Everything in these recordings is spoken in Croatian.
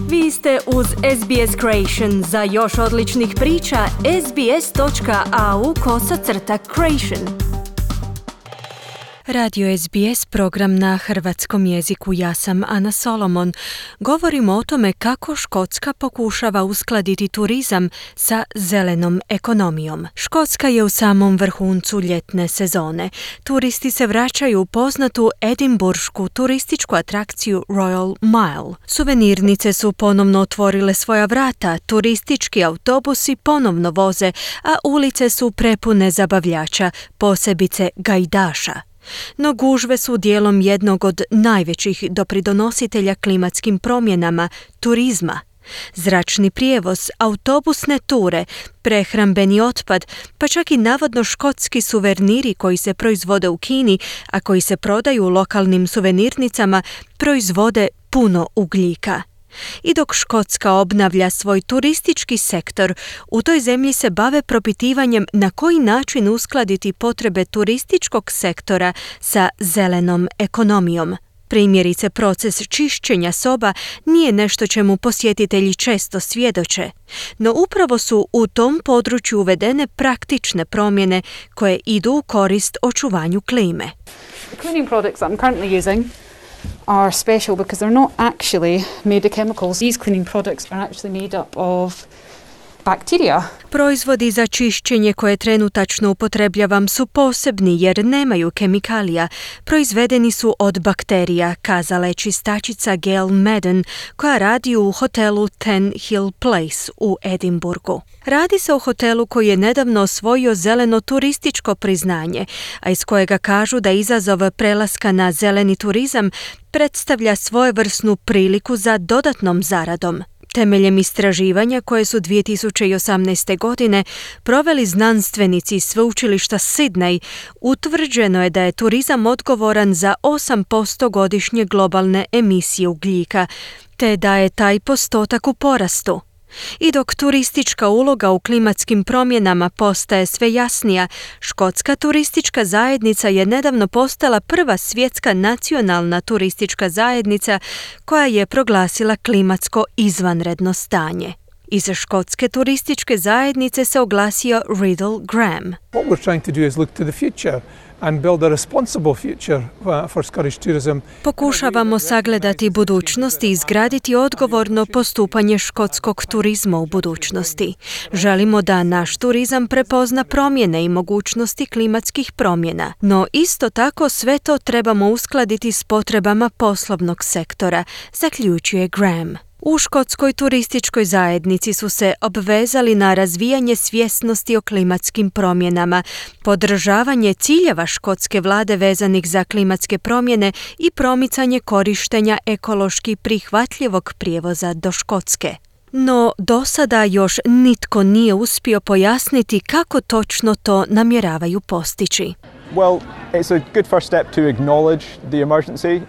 Vi ste uz SBS Creation. Za još odličnih priča, sbs.au/creation. Radio SBS, program na hrvatskom jeziku. Ja sam Ana Solomon. Govorimo o tome kako Škotska pokušava uskladiti turizam sa zelenom ekonomijom. Škotska je u samom vrhuncu ljetne sezone. Turisti se vraćaju u poznatu edinburšku turističku atrakciju Royal Mile. Suvenirnice su ponovno otvorile svoja vrata, turistički autobusi ponovno voze, a ulice su prepune zabavljača, posebice gajdaša. No gužve su dijelom jednog od najvećih dopridonositelja klimatskim promjenama, turizma. Zračni prijevoz, autobusne ture, prehrambeni otpad, pa čak i navodno škotski suveniri koji se proizvode u Kini, a koji se prodaju u lokalnim suvenirnicama, proizvode puno ugljika. I dok Škotska obnavlja svoj turistički sektor, u toj zemlji se bave propitivanjem na koji način uskladiti potrebe turističkog sektora sa zelenom ekonomijom. Primjerice, proces čišćenja soba nije nešto čemu posjetitelji često svjedoče, no upravo su u tom području uvedene praktične promjene koje idu u korist očuvanju klime. The cleaning products that I'm currently using are special because they're not actually made of chemicals. These cleaning products are actually made up of bacteria. Proizvodi za čišćenje koje trenutačno upotrebljavam su posebni jer nemaju kemikalija. Proizvedeni su od bakterija, kazala je čistačica Gail Madden, koja radi u hotelu Ten Hill Place u Edinburgu. Radi se o hotelu koji je nedavno osvojio zeleno turističko priznanje, a iz kojega kažu da izazov prelaska na zeleni turizam predstavlja svojevrsnu priliku za dodatnom zaradom. Temeljem istraživanja koje su 2018. godine proveli znanstvenici iz sveučilišta Sydney, utvrđeno je da je turizam odgovoran za 8% godišnje globalne emisije ugljika, te da je taj postotak u porastu. I dok turistička uloga u klimatskim promjenama postaje sve jasnija, Škotska turistička zajednica je nedavno postala prva svjetska nacionalna turistička zajednica koja je proglasila klimatsko izvanredno stanje. Iz Škotske turističke zajednice se oglasio Riddle Graham. What we're trying to do is look to the future and build a responsible future for Scottish tourism. Pokušavamo sagledati budućnost i izgraditi odgovorno postupanje škotskog turizma u budućnosti. Želimo da naš turizam prepozna promjene i mogućnosti klimatskih promjena, no isto tako sve to trebamo uskladiti s potrebama poslovnog sektora, zaključuje Graham. U Škotskoj turističkoj zajednici su se obvezali na razvijanje svjesnosti o klimatskim promjenama, podržavanje ciljeva škotske vlade vezanih za klimatske promjene i promicanje korištenja ekološki prihvatljivog prijevoza do Škotske. No, do sada još nitko nije uspio pojasniti kako točno to namjeravaju postići. Well, it's a good first step to acknowledge the emergency.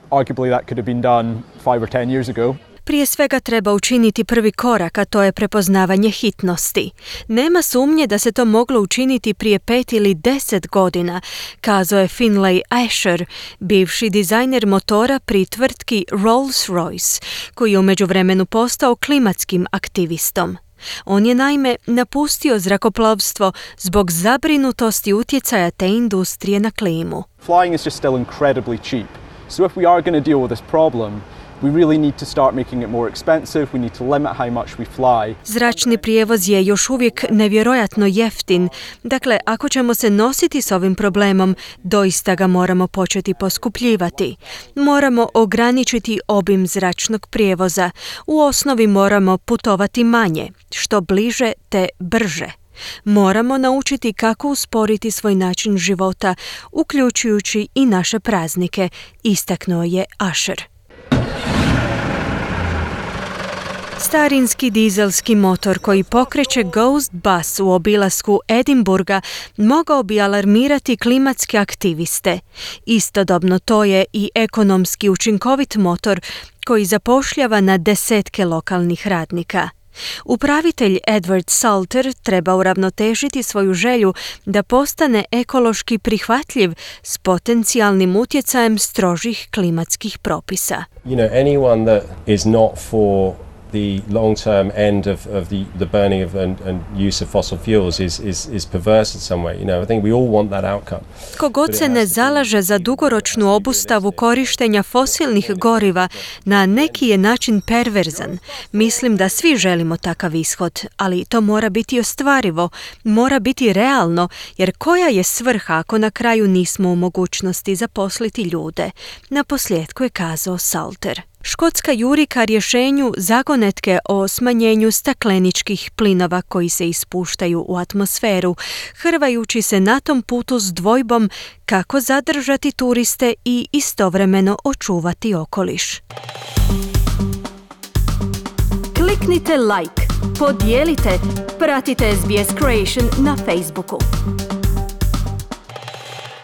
Arguably that could have been done 5 or 10 years ago. Prije svega treba učiniti prvi korak, a to je prepoznavanje hitnosti. Nema sumnje da se to moglo učiniti prije 5 ili 10 godina, kazao je Finlay Asher, bivši dizajner motora pri tvrtki Rolls-Royce, koji je u međuvremenu postao klimatskim aktivistom. On je naime napustio zrakoplovstvo zbog zabrinutosti utjecaja te industrije na klimu. Flying is just still incredibly cheap. So if we are going to deal with this problem, we really need to start making it more expensive. We need to limit how much we fly. Zračni prijevoz je još uvijek nevjerojatno jeftin. Dakle, ako ćemo se nositi s ovim problemom, doista ga moramo početi poskupljivati. Moramo ograničiti obim zračnog prijevoza. U osnovi moramo putovati manje, što bliže te brže. Moramo naučiti kako usporiti svoj način života, uključujući i naše praznike, istaknuo je Asher. Starinski dizelski motor koji pokreće Ghost Bus u obilasku Edinburga mogao bi alarmirati klimatske aktiviste. Istodobno to je i ekonomski učinkovit motor koji zapošljava na desetke lokalnih radnika. Upravitelj Edward Salter treba uravnotežiti svoju želju da postane ekološki prihvatljiv s potencijalnim utjecajem strožih klimatskih propisa. You know, anyone that is not for the long-term end of the burning of and use of fossil fuels is perverse in some way. You know, I think we all want that outcome. Tko god se ne zalaže za dugoročnu obustavu korištenja fosilnih goriva na neki je način perverzan. Mislim da svi želimo takav ishod, ali to mora biti ostvarivo, mora biti realno, jer koja je svrha ako na kraju nismo u mogućnosti zaposliti ljude? Naposljetku je kazao Salter. Škotska juri ka rješenju zagonetke o smanjenju stakleničkih plinova koji se ispuštaju u atmosferu, hrvajući se na tom putu s dvojbom kako zadržati turiste i istovremeno očuvati okoliš. Kliknite like, podijelite, pratite SBS Creation na Facebooku.